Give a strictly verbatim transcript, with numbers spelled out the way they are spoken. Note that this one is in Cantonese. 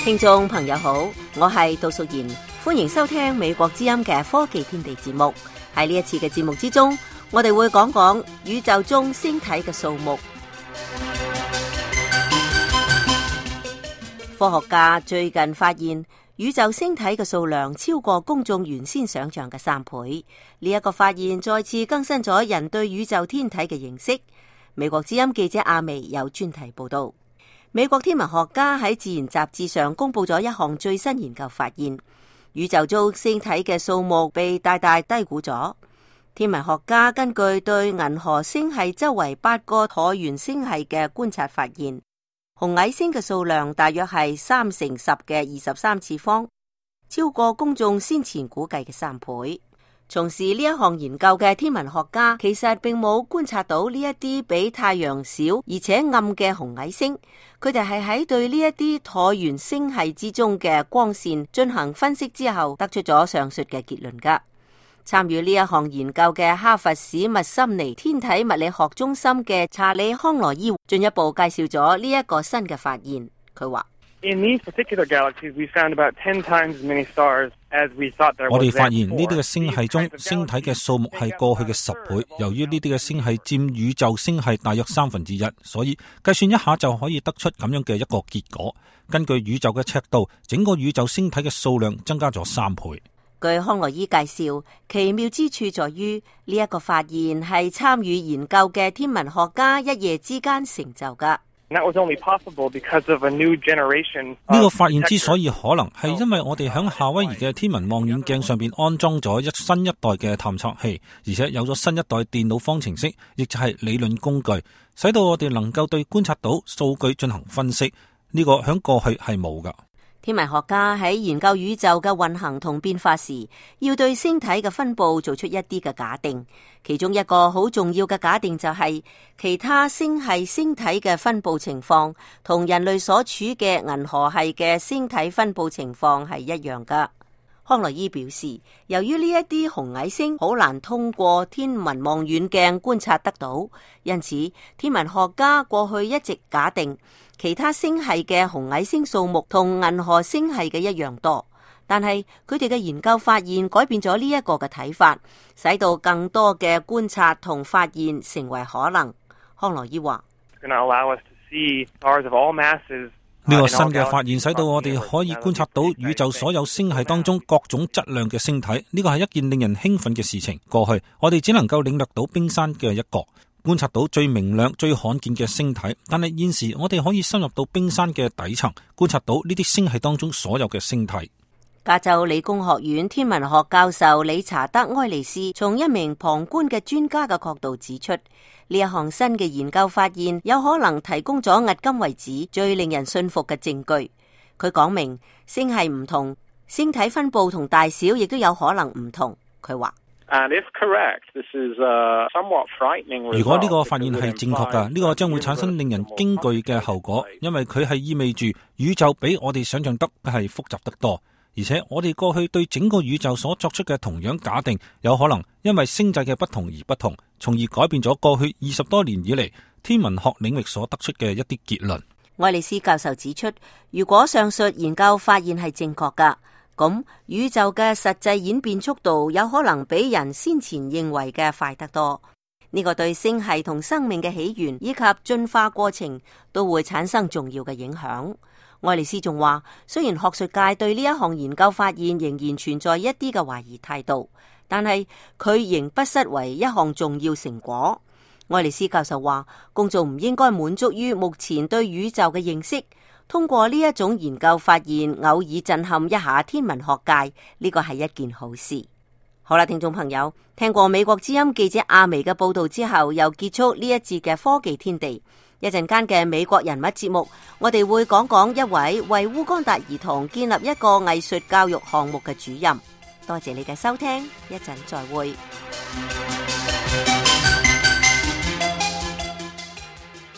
聽眾朋友好，我係杜淑賢，歡迎收聽美國之音嘅科技天地節目。喺呢一次嘅節目之中，我哋會講講宇宙中星體嘅數目。科學家最近發現，宇宙星體嘅數量超過公眾原先想象嘅三倍。呢一個發現再次更新咗人對宇宙天體嘅認識。美國之音記者阿薇有專題報道。美國天文學家喺《自然》雜誌上公布咗一項最新研究發現，宇宙中星體嘅數目被大大低估咗。天文學家根據對銀河星系周圍八個橢圓星系嘅觀察發現，紅矮星嘅數量大約係三乘十嘅二十三次方，超過公眾先前估計嘅三倍。從事呢一項研究嘅天文學家其實並冇觀察到呢一啲比太陽小而且暗嘅紅矮星，佢哋係喺對呢一啲橢圓星系之中嘅光線進行分析之後得出咗上述嘅結論噶。參與呢一項研究嘅哈佛史密森尼天體物理學中心嘅查理康羅伊進一步介紹咗呢一個新嘅發現。佢話In these particular galaxies, we found about ten times as many stars as we thought there was. 我哋發現呢啲嘅星系中星體嘅數目係過去嘅十倍。由於呢啲嘅星系佔宇宙星系大約三分之一，所以計算一下就可以得出咁樣嘅一個結果。根據宇宙嘅尺度，整個宇宙星體嘅數量增加咗三倍。據康羅伊介紹，奇妙之處在於呢一個發現係參與研究嘅天文學家一夜之間成就噶。呢個發現之所以可能，係因為我哋響夏威夷嘅天文望遠鏡上邊安裝咗一新一代嘅探測器，而且有咗新一代電腦方程式，亦就係理論工具，使到我哋能夠對觀察到數據進行分析。呢個響過去係冇噶。天文學家喺研究宇宙嘅運行同變化時，要對星體嘅分佈做出一啲嘅假定。其中一個好重要嘅假定就係其他星系星體嘅分佈情況同人類所處嘅銀河系嘅星體分佈情況係一樣噶。康羅伊表示，由於呢一啲紅矮星好難通過天文望遠鏡觀察得到，因此天文學家過去一直假定其他星系嘅紅矮星數目同銀河星系嘅一樣多。但係佢哋嘅研究發現改變咗呢一個嘅睇法，使到更多嘅觀察同發現成為可能。康羅伊話呢個新嘅發現使到我哋可以觀察到宇宙所有星系當中各種質量嘅星體，呢個係一件令人興奮嘅事情。過去我哋只能夠領略到冰山嘅一角，觀察到最明亮最罕見嘅星體，但係現時我哋可以深入到冰山嘅底層，觀察到呢啲星系當中所有嘅星體。加州理工學院天文學教授理查德埃利斯從一名旁觀嘅專家嘅角度指出，呢一項新嘅研究發現有可能提供咗迄今為止最令人信服嘅證據。佢講明星系唔同，星體分佈同大小亦都有可能唔同。佢話如果呢個發現係正確㗎，呢個將會產生令人驚懼嘅後果，因為佢係意味住宇宙比我哋想象得係複雜得多。而且我哋過去對整個宇宙所作出嘅同樣假定，有可能因為星際嘅不同而不同，從而改變咗過去二十多年以嚟天文學領域所得出嘅一啲結論。愛麗絲教授指出，如果上述研究發現係正確噶，咁宇宙嘅實際演變速度有可能比人先前認為嘅快得多。呢個對星系同生命嘅起源以及進化過程都會產生重要嘅影響。愛麗絲仲話，雖然學術界對呢一項研究發現仍然存在一啲嘅懷疑態度，但係佢仍不失為一項重要成果。愛麗絲教授話，公眾唔應該滿足於目前對宇宙嘅認識，通過呢一種研究發現，偶爾震撼一下天文學界，呢個係一件好事。好啦，聽眾朋友，聽過美國之音記者阿薇嘅報道之後，又結束呢一節嘅科技天地。一陣間嘅美國人物節目，我哋會講講一位為烏干達兒童建立一個藝術教育項目嘅主任。多謝你嘅收聽，一陣再會。